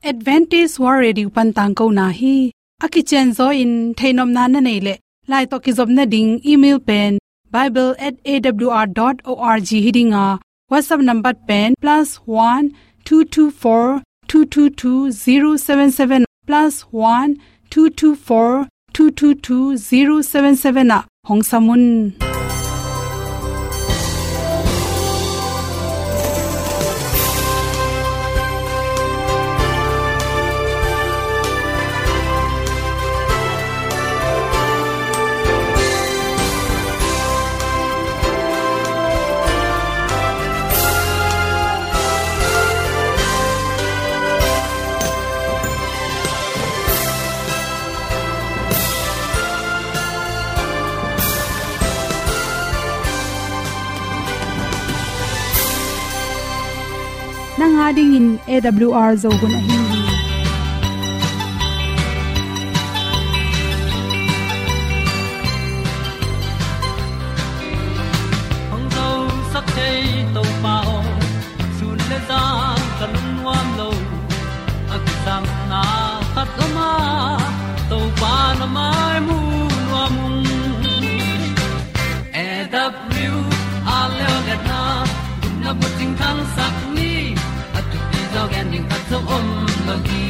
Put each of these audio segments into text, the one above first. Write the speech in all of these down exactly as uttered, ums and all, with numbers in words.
Adventist World Radio pan tangkona hi. A kicianzaw in theihnopna na neih leh, lai tawh kizopna ding email pen bible at A W R dot org hi ding a, WhatsApp number pen plus one two two four two two two zero seven seven, plus one two two four two two two zero seven seven ah hong sam un. Nang a dingin A W R Zo hun ahi hi. Hong zosak thei Topa aw, sun le zan ka lungnuam lo. A kisapna khat om a, Topa na mai mu nuam ung. A W R Leo Letna, gupna bucing thangsak ni, a thupi zaw gen ding khat zong om lo hi.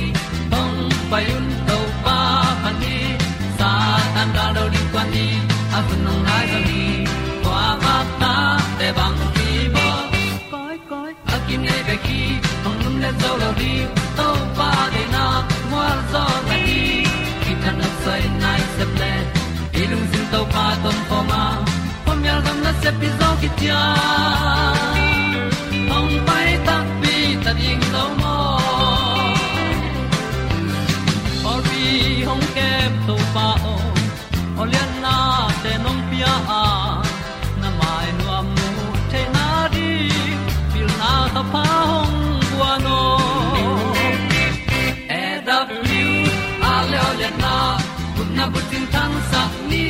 Hong pai un Topa phat ni, Satan gal lo ding kuan ni, a hun hong nai zaw hi. Kua bak ta te bang hi baw. Koi, koi, a kinei bek hi, hong lum le zo lo ding, Topa deihna mual zaw na hi. Kithat nopsai nai sep le, i lungsim Topa tawh om khawm a, khuamial gam nasep hi zaw kician. Hong pai takpi ta ding lo maw. Pawlpi hong kem Topa aw, aw liannate nong pia a, na mai nuam mu theihna ding, pilna thapha hong guan aw. A W R Leo Letna, gupna bucing thangsak ni,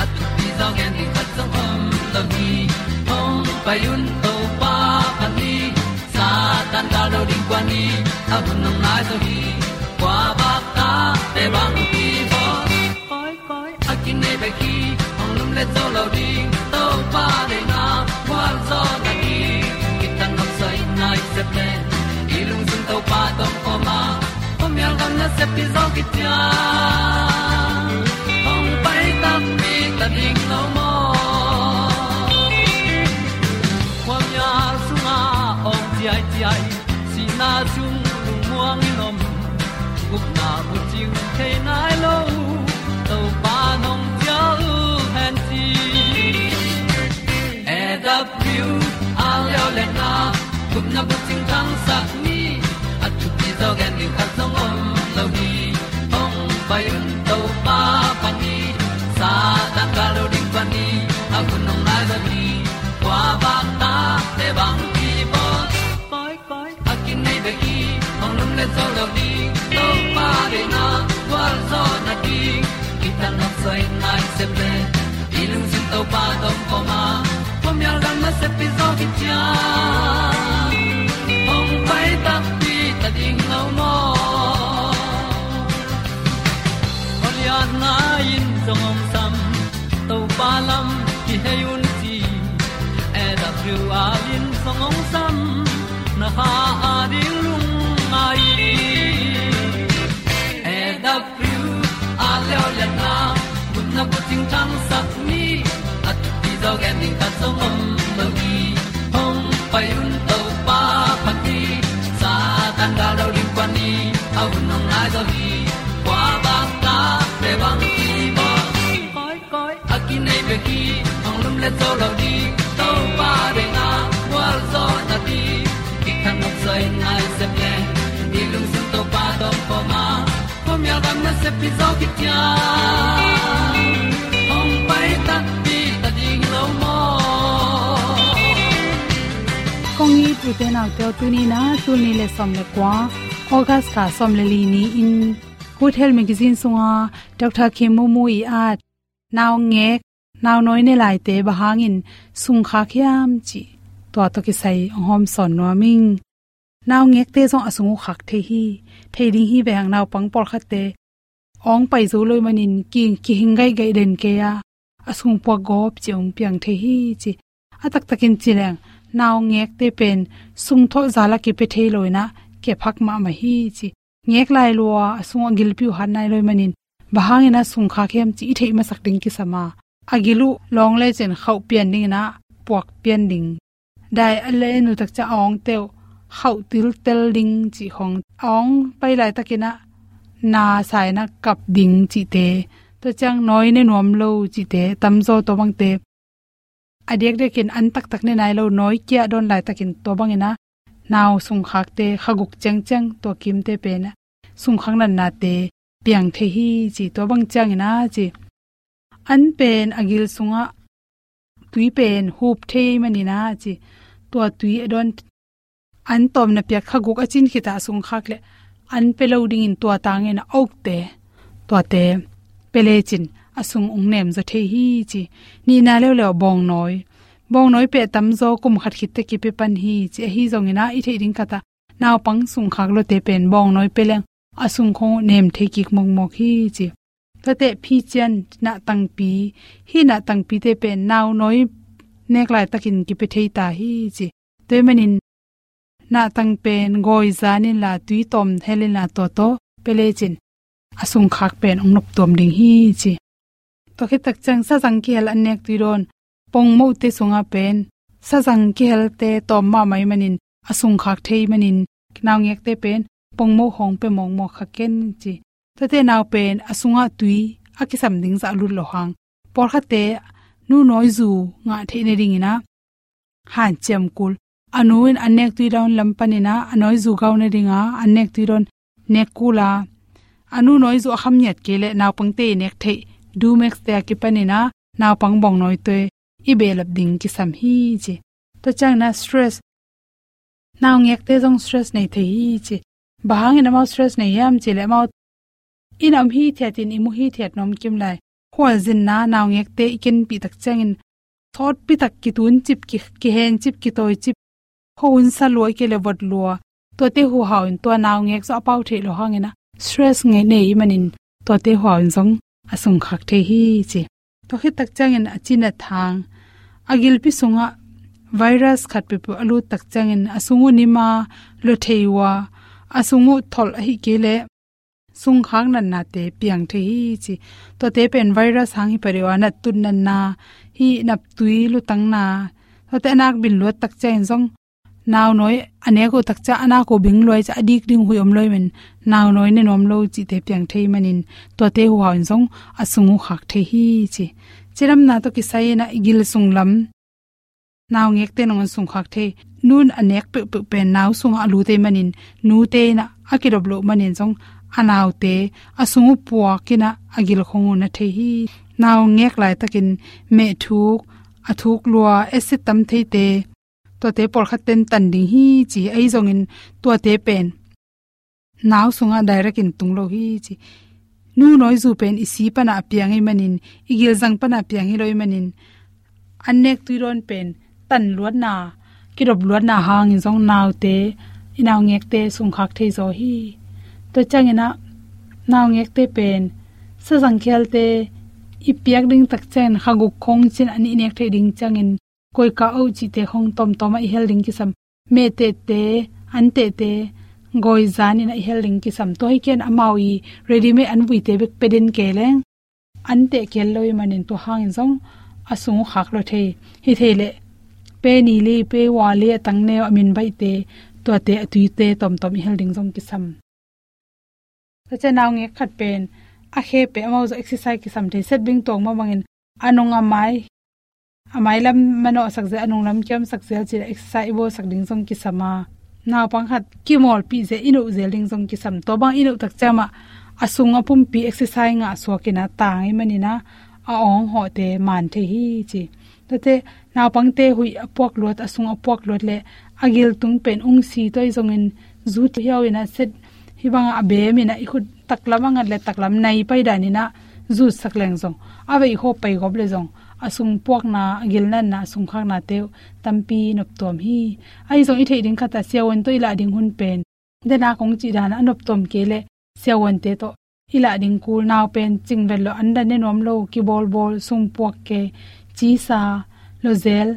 a thupi zaw gen ding khat zong om lo hi. Hong pai un Topa phat ni, Satan gal lo ding kuan ni, a hun hong nai zaw hi. Kua bak ta te bang hi baw. Koi, koi, a kinei bek hi, hong lum le zo lo ding, Topa deihna mual zaw na hi. Kithat nopsai nai sep le, i lungsim Topa tawh om khawm a, khuamial gam nasep hi zaw kician. Hong pai takpi ta ding lo maw. Khuamial sungah awng ciaiciai, sihna sung lungmuang in om, gupna bucing thei nai lo, Topa nong cial hen ci. A W R Leo Letna, gupna bucing thangsak ni, a thupi zaw gen ding khat zong om lo hi. Hong pai un Topa phat ni, Satan gal lo ding kuan ni, a hun hong nai zaw hi. Kua bak ta te bang hi baw. Koi, koi, a kinei bek hi, hong lum le zo lo ding, Topa deihna gualzawhna ding. Kithat nopsai nai sep le, i lungsim Topa tawh om khawm a, khuamial gam nasep hi zaw kician. Hong pai takpi ta ding lo maw. Aw liatna in zong hong sam, Topa lam kihei un ci. A W R in zong hong sam, na kha a ding lungngai. A W R Leo Letna, gupna bucing thangsak ni, a thupi zaw gen ding khat zong om lo hi. Hong pai un Topa phat ni, Satan gal lo ding kuan ni, a hun hong nai zaw hi. Kua bak ta te bang hi baw. Koi, koi, a kinei bek hi, hong lum le zo lo ding, Topa deihna gualzawhna ding. Kithat nopsai nai sep le, i lungsim Topa tawh om khawm a, khuamial gam nasep hi zaw kician. Hong pai takpi ta ding lo maw. Kong it u te nau te aw, tuni-in a tul nih le sawm le kua, August kha sawm le li ni-in, Good Health Magazine sunga Doctor Khin Mu Mu ii at naungek, naunawi ne laite bang hangin sung khak hiam cih, tua tawh kisai hong hawmsawn nuam ing. Naungekte zong a sung uh khak thei hi. Thei ding hi ve hang, naupang pawlkhatte awng pai zo lo manin ki, kihing gaihgaih den kei a, a sung puak gawp ci hong piang thei hi ci. A taktakin ci leng, naungekte pen sung thawh zal a kipia thei lo in ah, kep hak mahmah hi ci. Ngek lai lua, a sung a gilpi uh hat nai lo manin, bang hangin a sung khak hiam ci i theih masak ding kisam a, a gil uh lawng lecin khauh pian ding in ah, puak pian ding. Dai a le nu tak ciang a awngte uh khauh tiltel ding cih khong, a awng pai laitakin ah na sa in ah kap ding cihte, tua ciang nawi ne nuam lo cihte tamzaw, tua bangte a diakdiakin an taktak ne nai lo, nawi kia dawn laitakin tua bangin ah nau sung khakte kha guk ciangciang, tua kimte pen ah sung khak natnate piang thei hi ci. Tua bang ciangin ah ci, an pen a gil sungah tui pen hup thei manin ah ci, tua tui a dawn, an tawmna piak kha guk a cin khit a sung khak leh, an pia lo dingin tua tangin a ukte, tuate pia lecin a sung ong nem zaw thei hi ci. Nihna leuleu bawngnawi, bawngnawi pia tamzaw kum khat khit teh kipia pan hi ci. Ahi zongin ah i theih ding khat ah, naupang sung khak lawte pen bawngnawi pia leng a sung khong uh nem thei kik mawkmawk hi ci. Tuate phician, nahtangpi, hih nahtangpite pen naunawi nek laitakin kipia thei ta hi ci. Tua ahih manin nahtang pen gawi zan inla, tui tawm hel inla, tua tawh pia lecin a sung khak pen ong noptuam ding hi ci. Tua khit tak ciang sazang kihel an nek tui dawn, pongmohte sungah pen sazang kihelte tawm mahmah ahih manin, a sung khak thei manin, naungekte pen pongmoh khong pia mawkmawk kha ken ci. Tuate nau pen a sungah tui a kisam ding zah lut lo hang, pawlkhatte nu nawizu ngah theih nadingin ah hanciam kul. A nu in an nek tui dawn lam panin ah a nawizu gau nadinga an nek tui dawn nek kul a, a nu nawizu a kham ngiat kei leh naupangte i nek theih Dumex te a kipanin ah naupang bawngnawi tawh i behlap ding kisam hi ci. Tua ciangin ah stress, naungekte zong stress nei thei hi ci. Bang hangin amau stress nei hiam cih leh, amau inn a om hithiatin i mu hithiat nuam kim lai. Khualzinna naungekte i kenpih tak ciangin, sawtpi tak kituncip, ki, kihencip, kitawicip, khuahun sa lua, i kei leh vot lua, tuate huhau in tua naungek zong a pau theih loh hangin ah stress ngei nei ahih manin, tuate huhau in zong a sung khak thei hi ci. Tua khit tak ciangin a cin a thang, a gilpi sungah virus khat peuhpeuh a lut tak ciangin a sung uh nim a, lua thei uh a, a sung uh tholh ahih kei leh sung khak natnate piang thei hi ci. Tuate pen virus hang hi pah deuh a, nat tut natna, hih naptui lutangna, tuate a nak bin luat tak ciangin zong, naunawi a nek uh tak ciang a nak uh bing luai ciang a dik ding huih om lo ahih manin, naunawi ne nuam lo cihte piang thei manin, tuate huhau in zong a sung uh khak thei hi ci. Cidamna tawh kisai in ah i gil sung lam naungekte nangawn sung khak thei. Nu in a nek peuhpeuh pen nau sungah a lut ahih manin, nute in ah a kidop loh manin zong a naute a sung uh puak in ah a gil khong uh na thei hi. Naungek laitakin mehthuk, a thuk lua, acid tam theite, tuate pawlkhat ten tan ding hi ci. Ahi zongin tuate pen nau sungah direct in tung lo hi ci. Nu nawizu pen i si panah a piang ahih manin, i gilzang panah a piang hi lo ahih manin, an nek tui dawn pen tan luatna, kidop luatna hangin zong naute, i naungekte sung khak thei zaw hi. Tua ciangin ah naungekte pen sazang kihelte i piak ding tak ciangin kha guk khong cin an i nek theih ding ciangin, koika oh cihte khong tawmtawm ah i hel ding kisam. Mehtehte, antehte, gawi zan in ah i hel ding kisam. Tua hi ken amau i readymade an vuite bek pia den kei leng, anteh kihel lo ahih manin tua hangin zong a sung uh khak lua thei. Hi thei leh, pe ni li, pe ua li, a tang neu, a min baihte, tuate a tuite tawmtawm i hel ding zong kisam. Tua ciang naungek khat pen a khe pen amau zong exercise kisam thei, set bing tuak mah bangin a nung a mai, a mai lam manawhsak zel, a nung lam kiamsak zel cih leh exercise i bawlsak ding zong kisam a. Naupang khat kimawlpih zel, i noh zel ding zong kisam. Tua bang i noh tak ciang mah a sung a pumpi exercise ngah suak in ah tang ahih manin ah a awng hawhte man thei hi ci. Tuate naupangte huih a puak luat, a sung a puak luat leh a gil tung pen ungsi, tua ahi zongin zu hiau in ah set, hih bangah a bem in ah i khut taklam a ngat leh taklam nai pai dan in ah zutsak leng zong, a veikhaw pai gawp leh zong, a sungpuakna, a gilnatna, a sungkhaknate uh tampi noptuam hi. Ahi zong i theih ding khat ah siavuan tawh i lah ding hun pen, denak hong cih dan ah a noptuam kei leh siavuante tawh i lah ding kul, nau pen cingvet lo, an dan ne nuam lo, kibawlbawl, sungpuak kei, cisa, lozel,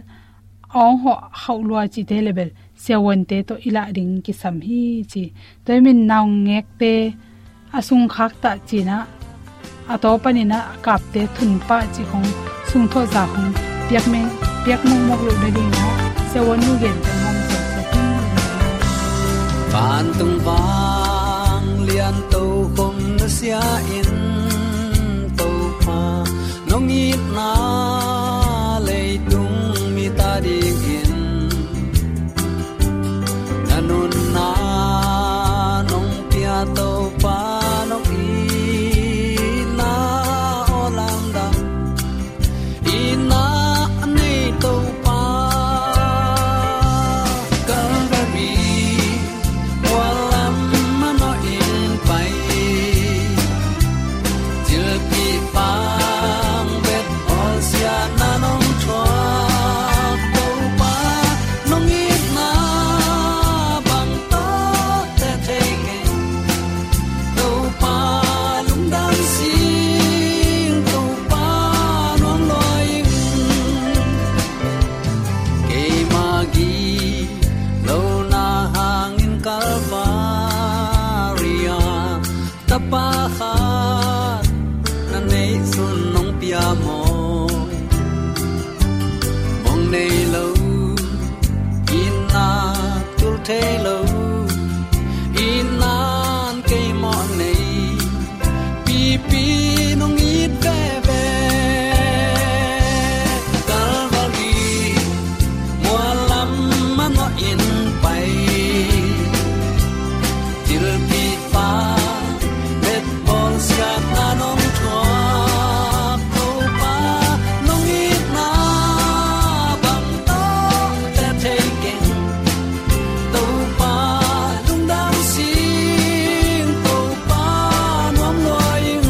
awng hawh, hauh lua cihte le bel siavuante tawh i lah ding kisam hi ci. Tua hi manin naungekte a sungkhak tah ci-in ah, a taw panin ah a kapte thun pah cih khong sungthawh za khong piak meng, piak mongmok loh nadingin ah siavuan nu gente hong sawlsak hi. Vantung vanglian tokhom nusia in Topa, nong itna leitung mite adingin na nunna nong pia Topa, nong itna aw lamdang, itna nei Topa. Calvary mual lam manawhin pai, cilpi pang bet awlsiatna nong thuak Topa, nong itna bang tawh teh thei keng Topa, lungdam sing Topa, nuam lua ing. Keima gilo na hangin Kalvari ah tapa khat na neih sun nong pia maw? Mong nei lo, itna tul thei lo, itna in kei mawh nei, pipi nong it veve. Calvary mual lam manawhin pai, cilpi pang bet awlsiatna nong thuak Topa, nong itna bang tawh teh thei keng Topa, lungdam sing Topa, nuam lua ing.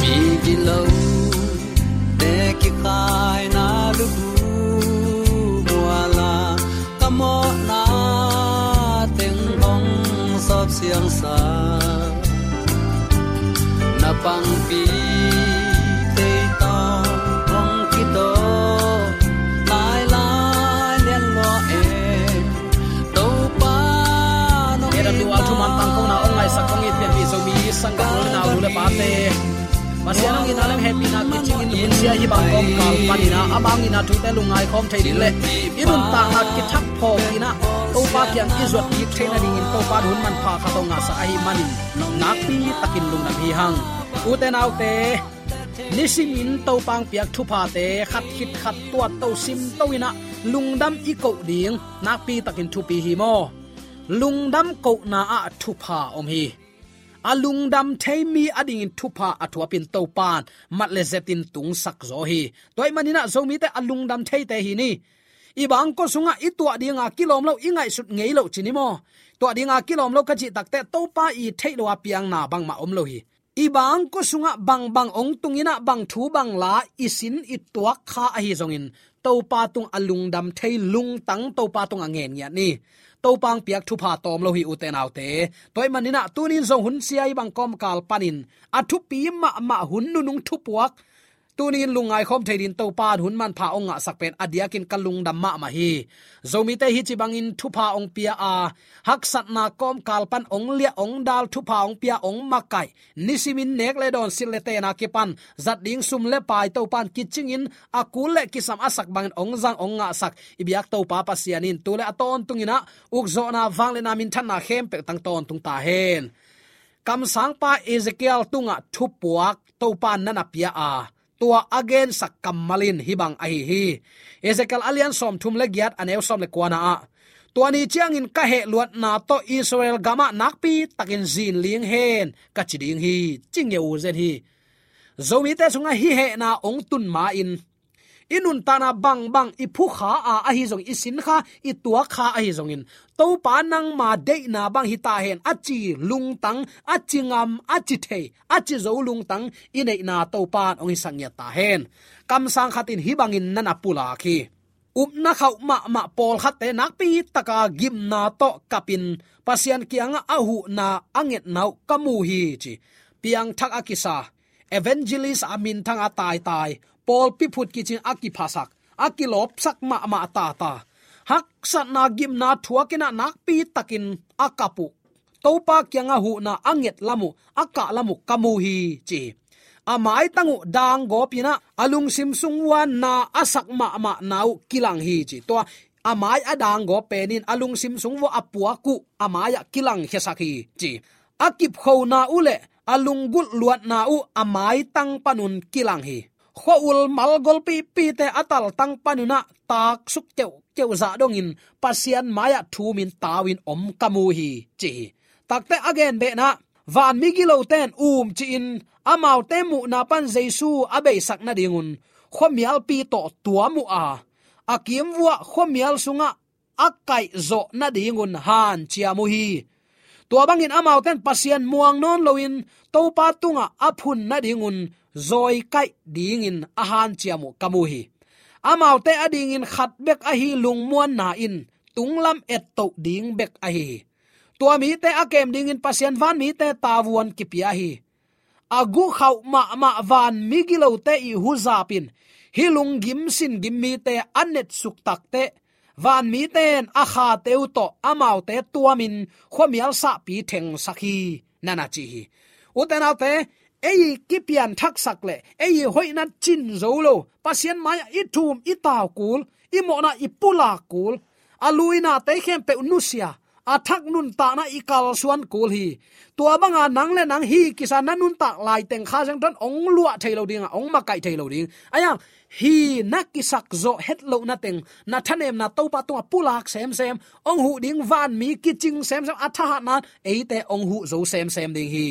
Mi gilo te kikhaina lubu mual ah ka mawhna teng hong sawp siangsak, na pangpi tei tawh hong kitawh lailai lian lua e. Topa nong itna, A W R thuman tangkona hong ngaihsak hong it pianpih Zomi sanggam u le nau, nu le pate, Pasian hong itna le hong hehpihna kicingin lungsia hi bang kawmkal panin ah ama hong itna thute lungngai khawm thei ding le i nuntakna kithak phawk in ah Topa kiang i zuat kik thei nadingin Topa in hun manpha khat hong ngahsak ahih manin nakpi takin lungdam hi hang. Ute naute, nisimin Topa hong piak thuphate khat khit khat tuatto simto in ah lungdam i koh ding nakpi takin thupi hi maw? Lungdam kohna ah thupha om hi. A lungdam thei mi adingin thupha a thuapin Topa in mat le zetin tungsak zaw hi. Tua ahih manin ah Zomite a lungdam theite hi ni. I bangkua sungah i tuah dinga kilawm lo, i ngaihsut ngei loh ci ni maw? Tuah dinga kilawm lo ka cih takteh Topa i theih lo a piangna bangmah om lo hi. I bangkua sungah bangbang hong tung in ah bang thu bang la i sin i tuak kha ahi zongin Topa tungah lungdam thei lungtang Topa tungah ngen ngiat ni. Topa hong piak thupha tawm lo hi ute naute. Tua ahih manin ah tuni in zong hun sia hi bang kawmkal panin a thupi mahmah hun nunung thupuak tuni in lungngai khawm thei dingin Topa in hun manpha hong ngahsak pen a diakin ka lungdam mahmah hi. Zomite hih ci bangin thupha hong pia a, haksatna kawmkal pan hong liah hong dal, thupha hong pia, hong makaih, nisimin nek le dawn, silh le tenna kipan zat ding sum le pai Topa in kicingin a kul le kisam a sak bangin hong zang hong ngahsak i biak Topa Pasian in tu le a tawntungin ah ukzawhna, vangliatna, minthanna khempeuh tang tawntung ta hen. Kamsangpa Ezekiel tungah thupuak Topa in na na pia a, tua a gensak kammal in hih bang ahi hi. Ezekiel a lian sawmthum le giat, a neu sawm le kuana ah, "Tua ni ciangin ka hehluatna tawh Israel gamah nakpi takin zinling hen," ka ci ding hi, ci ngeu zen hi. Zomite sungah hih hehna hong tun ma-in, i nuntakna bangbang, i phukha a ahi zong, i sinkha, i tuakkha ahi zongin, "Topa, nangma deihna bang hi ta hen," a ci lungtang, a ci ngam, a ci thei, a ci zo lungtang i neihna Topa in hong hisak ngiat ta hen. Kamsang khat in hih bangin na na pulak hi. Upna khauh mahmah pawlkhatte nakpi taka gimna tawh kapin Pasian kiangah a huhna a ngetna uh ka mu hi, ci. Piangthak a kisa, evangelist a minthang a taitai, pawlpi phut kicing a kiphasak, a kilawpsak mahmah tata, haksatna gimna thuakin ah nakpi takin a kap uh, Topa kiangah huhna a nget lam uh, a kah lam uh ka mu hi, ci hi. A maitang uh danggawpin ah a lungsim sung uah na a sak mahmahna uh kilang hi, ci. Tua a mai a danggawp pen in a lungsim sung uah a puak uh a mai-ah kilangkhiasak hi, ci. A kipkhona uh le a lunggulh luatna uh a maitang panun kilang hi. Khua-ul malgol pihpihte a taltang panun ah taksuk keuhkeuh zah dongin Pasian mai-ah thumin tau-in om ka mu hi, ci hi. Takte a genbehna, vanmi gilote in umcih in amaute muhna pan Jesu a beisak nadingun khuamialpi tawh tuam uh a, a kim uah khuamial sungah a kaihzawh nadingun hanciam uh hi. Tua bangin amaute in Pasian muang nawn loin Topa tungah a phun nadingun zawikaih dingin a hanciam uh ka mu hi. Amaute adingin khat bek ahi lungmuanna in tunglam ettoh ding bek ahi hi. Tua mite a kem dingin Pasian vanmite tavuan kipia hi. A guhkhauh mahmah vanmi gilote ii huzap in hih lunggim singim mite a netsuk takteh, vanmite in a khate uh tawh amaute tuamin khuamial sahpi thengsak hi, na na ci hi. Ute naute, ei kipianthaksak le ei hoihna cin zo lo, Pasian mai-ah i thum i tau kul, i mawhna i pulak kul, a luinate khempeuh nusia, a thak nuntakna i kalsuan kul hi. Tua banga nang le nang hi kisa na nuntak laiteng Kha Siangtho in hong luah thei lo ding a, hong makaih thei lo ding. Ahi hang, hi na kisak zawh het lohna teng, na thanemna Topa tungah pulak semsem, hong huh ding vanmi kicing semsem, a thahatna in eite hong huh zo semsem ding hi.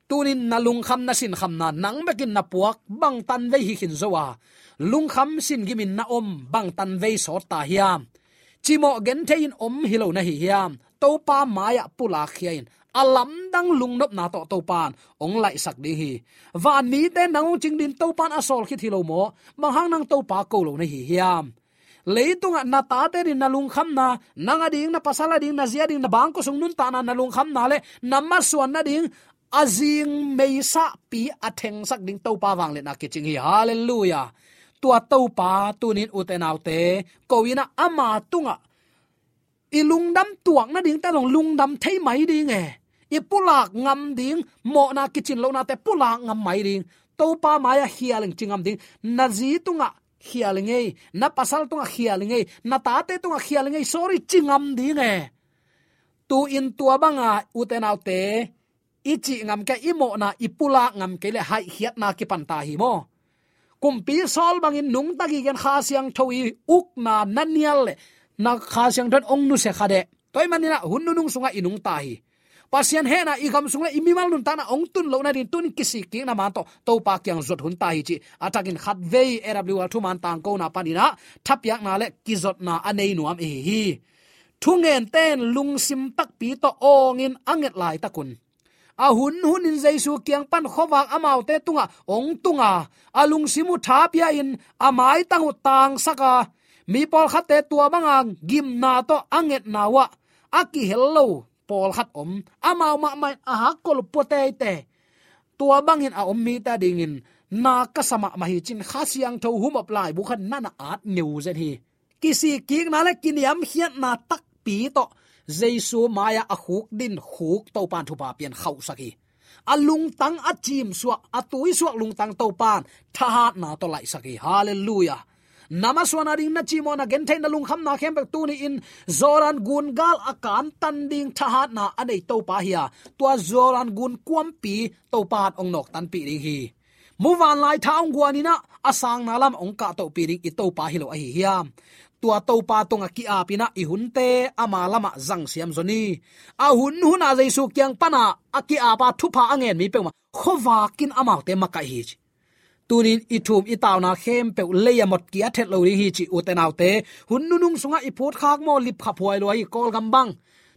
Tunin na lungkham na sinkhamna nang bekin na puak bangtan vei hi khin zo a, lungkham singimin na om bangtan vei sawt ta hiam? Cimawh genthei in om hi lo na hi hiam? Topa mai-ah pulakkhia in, a lamdang lungnopna tawh Topa in hong laihsak ding hi. Vanmite nang hong cing dingin Topa in a sawl khit hi lo maw? Bang hang nang Topa ko lo na hi hiam? Leitungah na tate ading na lungkhamna, nang ading, na pasal ading, na zi ading, na bangkua sung nuntakna na lungkhamna le na masuan nading a zing meisahpi a thengsak ding Topa vangliatna kicing hi. Halleluiah. Tua Topa tunin ute naute ko-in ah ama tungah i lungdam tuak nadingte zong lungdam thei mai ding e. I pulak ngam ding, mawhna kicin lohnate pulak ngam mai ding. Topa mai-ah khial ing, ci ngam ding. Na zi tungah khial ing ei, na pasal tungah khial ing ei, na tate tungah khial ing ei, sorry, ci ngam ding e. Tu-in tua banga ute naute, i cih ngam kei, i mawhna i pulak ngam kei le haihkhiatna kipan ta hi maw? Kumpi Saul bangin nungta gige in Kha Siangtho i ukna na nial le na Kha Siangtho in hong nusia kha deh. Tua ahih manin ah hun nunung sungah i nungta hi. Pasian hehna i gam sung le i mimal nuntakna hong tun loh nading tunin kisikkikna man tawh Topa kiang zuat hun ta hi, cih a thakin khatvei A W R thuman tangkona panin ah thapiakna le kizotna a nei nuam i hi hi. Thungente in lungsim takpi tawh awngin a nget laitakun, a hunhunin Jesu kiang pan khuavak amaute tungah hong tung a, a lungsim uh tha pia-in a maitang uh tangsak a, mi pawlkhatte tua banga gimna tawh a ngetna uh ah a kihel lo pawlkhat om. Amau mahmah in a hakkol uh pua teitei. Tua bangin a om mite adingin na ka sa mahmah hi, ci-in Kha Siangtho humop laibu khat na na at ngeu zen hi. Kisikkikna le kiniamkhiatna takpi tawh Jesu mai-ah a khukdin khuk Topa in thupha pia-in khauhsak hi. A lungtang a cimsuak, a tuisuak lungtang Topa in thahatna tawh laihsak hi. Halleluiah. Na masuan ading, na cimawhna gentheihna, lungkhamna khempeuh tuni-in Jordan gun gal a kantan ding thahatna a nei Topa hi a, tua Jordan gun kuampi Topa in hong nawktanpih ding hi. Muvanlai tha hong guan in ah a sangna lam hong kahtohpih ding i Topa hi lo ahi hiam? Tua Topa tungah ki-ap in ah i hunte ama lamah zangsiam zaw ni. A hun hunah Jesu kiang pana a ki-apa thupha a ngen mi peuhmah khuavak in amaute makaih hi ci. Tunin i thum i tauna khempeuh lei a mot kia thet lo ding hi ci, ute naute. Hun nunung sungah i phutkhak maw, lipkhap huai lua hi Kawlgam bang.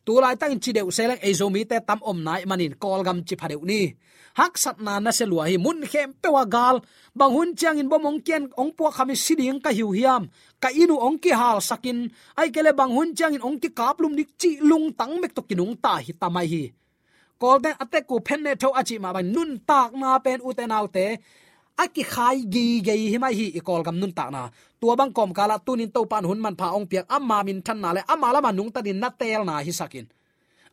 Tulaitakin ci deuh se leng ei Zomite tam omna ahih manin Kawlgam ci pha deuh ni. Haksatna nasia lua hi, mun khempeuh ah gal. Bang hun ciangin bom hong kian hong puak khamin si ding ka hi uh hiam? Ka inn uh hong kihalsakin, ahih kei leh bang hun ciangin hong kikaplum ding cih lungtang bek tawh kinungta hi ta mai hi. Kawlten a tek uh phen ne tho a cih mah bang nuntakna pen, ute naute, a kikhai gigei hi mai hi i Kawlgam nuntakna. Tua bang kawmkalah tunin Topa in hun manpha hong piak, ama minthanna le ama lamah nungta dingin na teelna hisak in,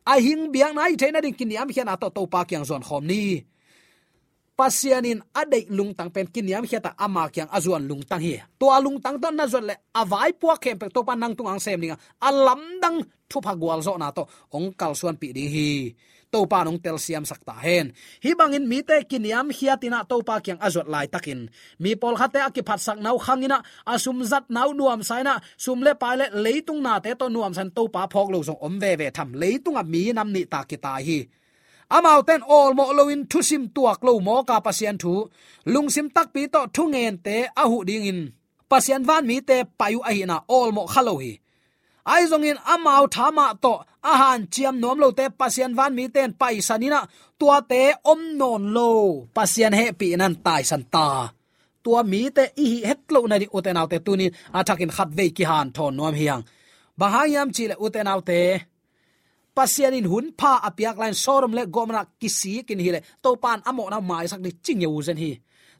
a hing biakna hi theihna ding kiniamkhiatna tawh Topa kiang zuan khawm ni. Pasian in a deih lungtang pen kiniamkhiat a, ama kiang a zuan lungtang hi. Tua lungtang tawh na zuat leh a vaipuak khempeuh Topa in nang tungah hong sem ding a, a lamdang thupha gualzawhna tawh hong kalsuanpih ding hi. Topa in hong telsiamsak ta hen. Hih bangin mite kiniamkhiat in ah Topa kiang a zuat laitakin, mi pawlkhatte a kiphatsakna uh khang in ah, a sumzatna uh nuamsa in ah, sum le pai le leitung nate tawh nuamsa in Topa phawk lo zong om veve tham? Leitungah mi nam nih ta kitai hi. Amaute in awlmawh loin thusim tuak lo mawk a, Pasian thu, lungsim takpi tawh thungente a huh dingin Pasian vanmite pai uh ahihna awlmawh kha lo hi. Ahi zongin amau tha mah tawh a hanciam nuam lote Pasian vanmite in paisan in ah, tuate om nawn lo, Pasian hehpihna in taisan ta. Tua mite i hih het loh nading, ute naute, tunin a thakin khatvei kihanthawn nuam hi hang. Bang hang hiam cih leh, ute naute, Pasian in hun pha a piak lai-in Sodom le Gomorrah kisik in hi leh, Topa in a mawhna uh maisak ding ci ngeu zen hi.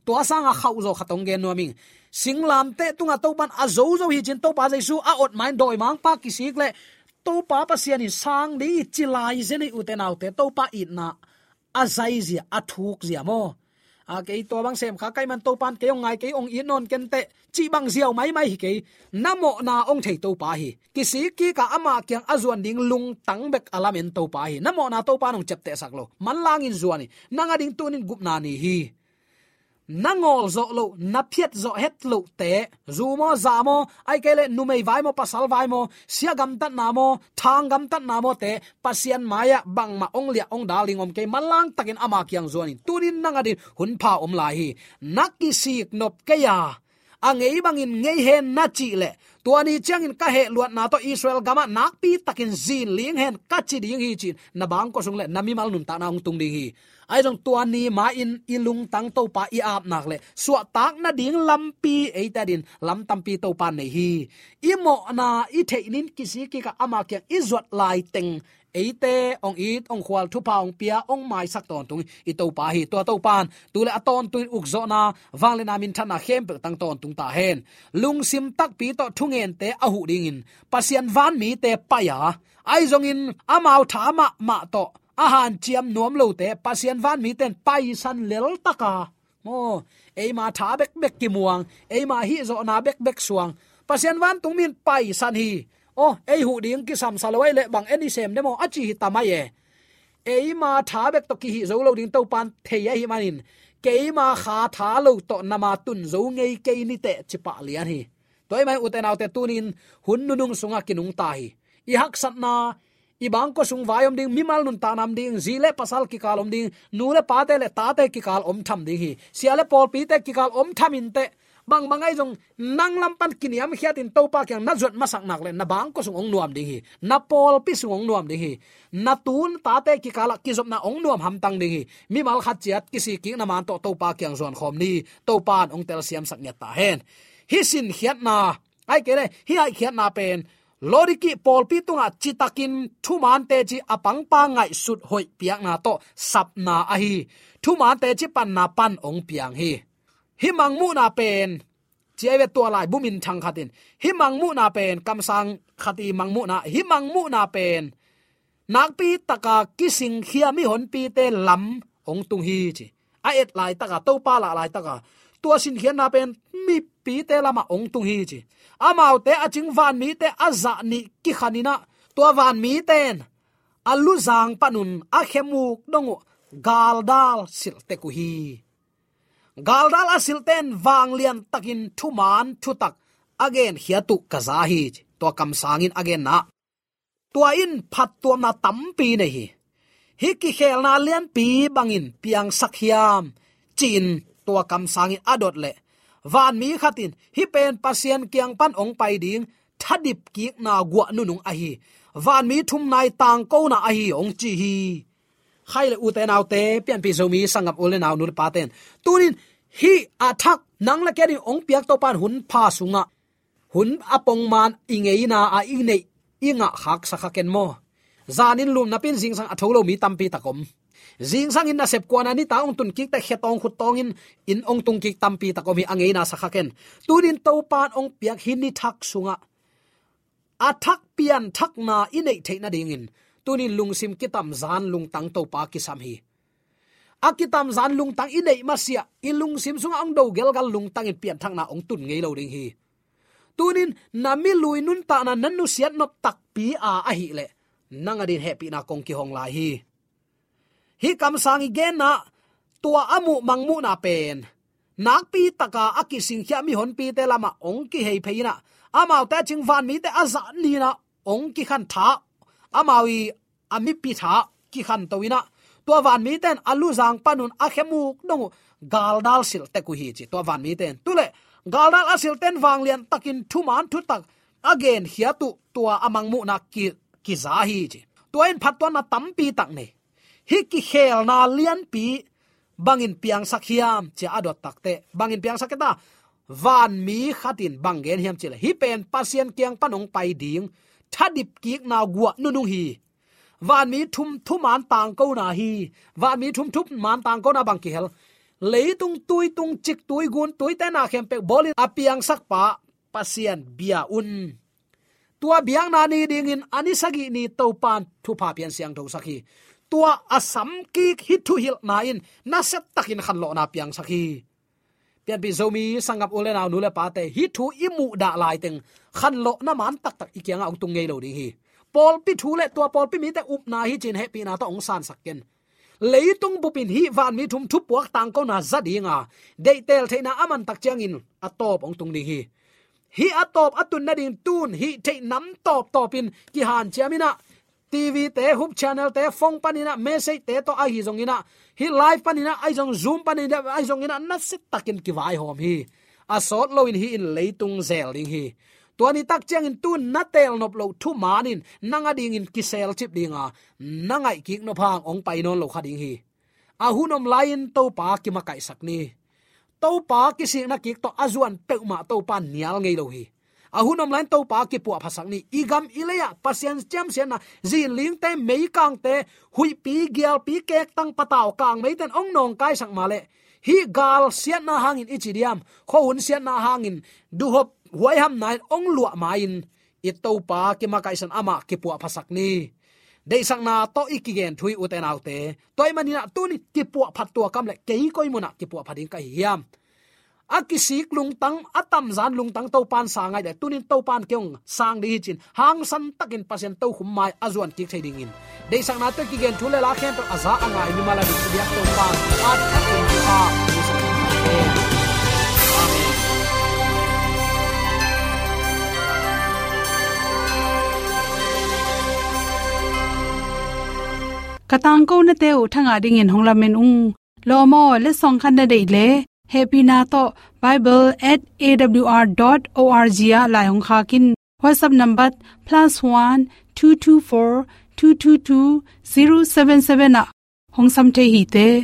Tua sangin khauhzaw khat hong gen nuam ing. Singlamteh tungah Topa in a zozo hi ci-in Topa Jesu a ot ma-in dawimangpa kisik leh, Topa Pasian in sang ding hi ci lai zen hi, ute naute. Topa itna a zaizia, a thukzia maw? A, kei tua bang sem kha ka hih man Topa in kei hong ngai, kei hong it nawn ken teh, cih bang ziau maimai hi kei. Na mawhna hong thei Topa hi. Kisik kik a ama kiang a zuan ding lungtang bek a lamen Topa hi. Na mawhna Topa in hong ciaptehsak lo. Manlangin zuan hi. Nang ading tunin gupna ni hi. Na ngawlzawh loh, na phiatzawh het lohte, zu maw, za maw, ahih kei leh numei vai maw, pasal vai maw, sia gamtatna maw, thang gamtatna mawte, Pasian mai-ah bangmah hong liah hong dal ding om kei, manlang takin ama kiang zuan in. Tunin nang adingin hun pha om lai hi. Na kisik nop kei a, a ngei bangin ngei hen na cih leh, tua ni ciangin ka hehluatna tawh Israel gamah nakpi takin zin ling hen ka ci ding hi ci-in na bangkua sung leh na mimal nuntakna hong tung ding hi. Ahi zong tua ni ma-in i lungtang Topa i ap nak leh suahtak nading lampi eite adingin lam tampi Topa in nei hi. I mawhna i theih nin kisik kik a ama kiang i zuat laiteng eite hong it, hong khual, thupha hong pia, hong maisak tawntung i Topa hi. Tua Topa in tu leh a tawntungin ukzawhna, vangliatna, minthanna khempeuh tang tawntung ta hen. Lungsim takpi tawh thungente a huh dingin Pasian vanmite pai a, ahi zongin amau tha mahmah tawh a hanciam nuam lote Pasian vanmite in paisan lel tak a, maw, eima tha bekbek kimuang, eima hihzawhna bekbek suang, Pasian vantung mi in paisan hi. Aw, ei huh ding kisamsa lo ahih leh bang en i sem de maw, a ci hi ta mai e. Eima tha bek tawh kihih zo lo ding Topa in thei ahih manin, keima kha tha lo tawh nama tun zo ngei kei ni teh, ci pah lian hi. Tua ahih manin ute naute, tunin hun nunung sungah kinungta hi. I haksatna, i bangkua sung vai om ding, mimal nuntakna om ding, zi le pasal kikal om ding, nu le pate le tate kikal om tham ding hi. Sia le pawlpite kikal om tham in teh, bangbang ahi zong nang lam pan kiniamkhiatin Topa kiang na zuat masak nak leh na bangkua sung hong nuam ding hi. Na pawlpi sung hong nuam ding hi. Na tu na tate kikalah kizopna hong nuam hamtang ding hi. Mimal khat ciat kisik kik na man tawh Topa kiang zuan khawm ni. Topa in hong telsiamsak ngiat ta hen. Hih sinkhiatna, ahih kei leh hih haihkhiatna pen Laodikei pawlpi tungah citakin thuman teci a pangpa ngaihsut hoih piakna tawh sapna ahi. Thuman teci panna pan hong piang hi. Hih mangmuhna pen, ci ahi ve, tua laibu minthang khat in, hih mangmuhna pen, kamsang khat i mangmuhna, hih mangmuhna pen nakpi taka kisingkhia mihonpite lam hong tung hi ci. A et laitaka, Topa lah laitaka, tua sinkhiatna pen mipite lamah hong tung hi ci. Amaute a cing vanmite a zah nih kikhan in ah, tua vanmite in a luzang panun a khemuk dong uh galdal silh tek uh hi. Galdal a silhte in vanglian takin thuman thutak a genkhia uh ka za hi, ci. Tua kamsang in a genna, tua in phattuamna tampi nei hi. Hih kikhelna lianpi bangin piangsak hiam, ci-in tua kamsang in a dot leh, vanmi khat in, hih pen Pasian kiang pan hong pai ding thadip kikna guah nunung ahi, vanmi thum nai tangkona ahi, hong ci hi. Khaile ute naute, pianpih Zomi sanggam u le nau, nu le pate in, tunin hih a thak nang le kei ading hong piak Topa in hun pha sungah, hun a pongman i ngeina a i neih i ngah khaksa kha ken maw? Zanin lum napi in zingsang a tho lo mi tampi tak om. Zingsang in nasep kuana nitak hong tun kik teh khe tawng khut tawng in, in hong tung kik tampi tak om hi, a ngeina sa kha ken. Tunin Topa in hong piak hih ni thak sungah a thak pianthakna i neih theih nadingin tunin lungsim kitamzan lungtang Topa kisam hi. A kitamzan lungtang i neih masiah, i lungsim sungah hong do gelgal lungtangin pianthakna hong tun ngei lo ding hi. Tunin na milui nuntakna na nusiat nop takpi a ahih leh, nang adingin hehpihna kong kihong lai hi. Hih kamsang i genna, tua a muh mangmuhna pen nakpi taka a kisingkhia mihonpite lamah hong kihei phei in ah, amaute a cing vanmite a zat ni-in ah hong kikhan tha, amau i a mipi tha kikhanto in ah, tua vanmite in a luzang panun a khemuk dong uh galdal silh tek uh hi, ci. Tua vanmite in, tu leh galdal a silhte in vanglian takin thuman thutak a genkhiat uh tua a mangmuhna ki, kiza hi, ci. Tua in phattuamna tampi tak nei. Hih kikhelna lianpi bangin piangsak hiam, ci-a a dot tak teh, bangin piangsak kei ta? Vanmi khat in bang gen hiam cih leh, hih pen Pasian kiang pan hong pai ding thadip kikna guah nunung hi. Vanmi thum thuman tangkona hi. Vanmi thum thuman tangkona bang kihel? Leitung tuitung, ciktui, guntuite na khempeuh bawlin a piangsakpa Pasian bia un. Tua biakna ni dingin a ni sagih ni Topa in thupha piang siangthosak hi. Tua a samkik hih thuhilhna in nasia takin khanlawhna piangsak hi. Pianpih Zomi sanggam u le nau, nu le pate, hih thu i muhdah laiteng khanlawhna man taktak i kiangah hong tung ngei lo ding hi. Pawlpi thu le tua pawlpi mite upna hi ci-in hehpihna tawh hong sansak ken. Leitung bupin hih vanmi thum thupuak tangkona za dinga, deihtel theihna a man tak ciangin a tawp hong tung ding hi. Hih a tawp a tun nading tun hih theih nam tawptawpin kihanciam in ah, T V te, Hope Channel te, phone panin ah, message te tawh ahi zongin ah, hih live panin ah ahi zong, Zoom panin ah ahi zongin ah, nasia takin kivaihawm hi. A sawt loin hih in leitung zel ding hi. Tua ni tak ciangin tun na teel nop loh thuman in nang adingin kiselcip dinga, na ngaihkik nop hang hong pai nawn lo kha ding hi. A hun om lai-in Topa kimakaihsak ni. Topa kisikna kik tawh a zuan peuhmah Topa in nial ngei lo hi. A hun om lai-in Topa kipuahphatsak ni. I gam i lei-ah Pasian ciamsiatna, zinlingte, meikangte, huihpi, gialpi, kektang, patau, kangmeite in hong nawngkaisak mah leh, hih gal siatna hangin i ci diam, khuahun siatna hangin, duhhop huaihamna in hong luah ma-in, i Topa kimakaihsan, amah kipuahphatsak ni. Deihsakna tawh i kigen thu hi, ute naute. Tua ahih manin ah tuni kipuahphat tua kam leh kei koi munah kipuahphat ding ka hi hiam? A kisik lungtang, a tamzan lungtang Topa in sang ahih leh, tunin Topa in kei hong sang ding hi ci-in hangsan takin Pasian tokhom mai a zuan kik thei dingin, deihsakna tawh i kigen thu le la khempeuh a za a ngai mimal adingin i biak Topa in a thakin thupha hong pia hen. Amen. Ka tangkonate uh thangah dingin hong lamen ung. Lawm aw, letsong khat na deih leh, hehpihna tawh bible at A W R dot O R G ah lai hong khak in. WhatsApp number plus one two two four two two two zero seven seven ah hong sam thei hi te.